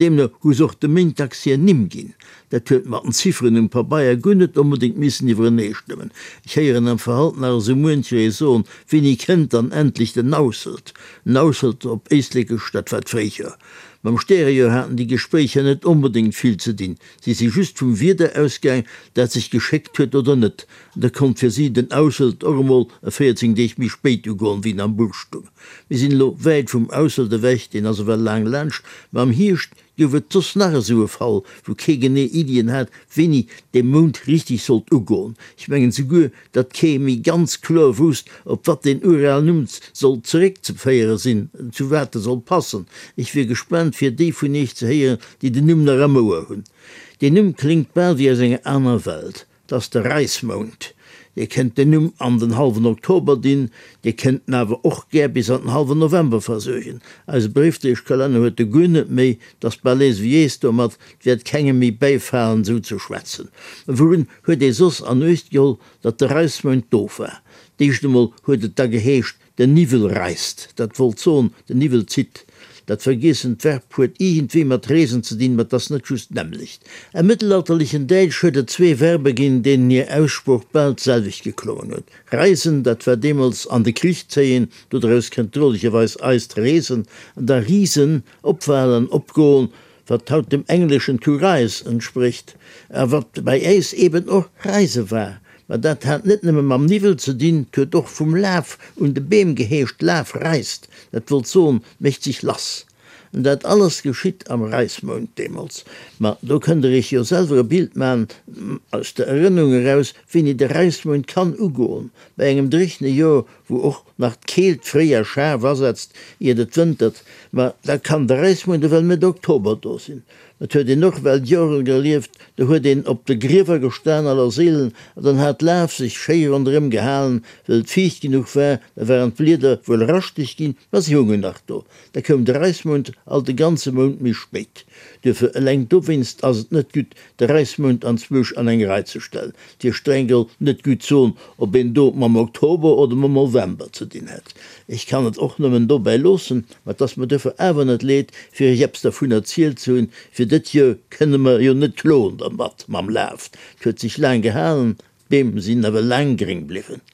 Deemno hu se och de Méintdags hir Nimm ginn. Dat huet mat den Zifferen um Pabeier guer net onbedéngt missen iwwereneestëmmen. Ech héieren am Verhalt nach esou muencher ee soen, Wéini kënnt dann endlech den Nausselt? Nausselt op Éislekesch, dat war d'Fréijoer. Mam Stärejoer haten déi Gespréicher net onbedéngt vill ze dinn. Si si just vum Wieder ausgaang, dat sech geschéckt huet oder net. An da konnt fir si den Ausselt och emol e 14 Deeg méi spéit ugoen, wéi en am Buch stung. Mir sinn elo wäit vum Ausselt ewech, deen ass ewell laang laanscht, ma am Hierscht gouf et soss nach esou e Fall, wou kee genee Iddien hat, wéini dee Mount richteg sollt ugoen. Ech mengen souguer, datt kee méi ganz kloer wousst, op wat deen uralen Numm sollt zeréckzeféiere sinn, zu wat e sollt passen. Ech wier gespaant, fir déi vun iech ze héieren, déi den Numm nach am Ouer hunn. Deen Numm kléngt bal wéi aus enger aner Welt. 't ass de Räismount. Dir kënnt den Numm an den hallwen Oktober dinn, Dir kënnt en awer och gär bis an den hallwen November versuergen. Eise Bréifdréieschkalenner huet e guer net méi, 't ass bal ees ewéi ees domat, 't wäert kengem méi bäifalen, esou ze schwätzen. Mä wourun huet ee soss an Uecht geholl, datt de Räismount do war? D'éischt emol huet et da geheescht, Den Niwwel reist, dat wollt soen, den Niwwel zitt. Dat vergiessent Verb huet iergendwéi mat reesen ze dinn, ma 't ass net just d'nämmlecht. Am mëttelalterlechen Däitsch huet et zwee Verbe ginn, deenen hir Aussprooch bal d'selwecht geklongen huet, reisen, dat war deemools an de Krich zéien, dodraus kënnt drolegerweis eist reesen, an da risen, opwalen, opgoen, wat haut dem engleschen to rise entsprécht, a wat bei äis eben och reise war. Mä dat hat net nëmme mam Niwwel ze dinn, 't huet och vum Laf un de Beem geheescht, Laf reist, dat wollt soen, mécht sech lass. An dat alles geschitt am Reismount deemools. Ma do kënnt der iech jo selwer e Bild man, aus der Erënnerung eraus, wéini de Reismount kann ugoen, bei engem dréchne Joer, wou och nach d'Keelt fréi a schaarf asetzt, iert et wëntert, ma da kann de Räismount ewell Mëtt Oktober do sinn. Et huet een och well Joren gelieft, do huet een op de Griewer gestan, Allerseelen, an dann hat d'Laf sech schéi ronderëm gehalen, well et fiicht genuch war, da waren d'Blieder wuel raschteg ginn, ma si hungen nach do. Da koum de Räismount alt e ganze Mount méi spéit. Duerfir, eleng dowéinst ass et net gutt, de Räismount anzwousch an eng Rei ze stellen. Et wier streng geholl net gutt soen, ob een do mam Oktober oder mam November ze dinn hätt. Ech kann et och nëmmen dobäi loossen, ma 't ass mer duerfir awer net leed, fir iech eppes dervun erzielt ze hunn. Fir dët Joer kënne mer jo net kloen dermat mam Laf. 't huet sech laang gehalen, d'Beem sinn awer laang gréng bliwwen.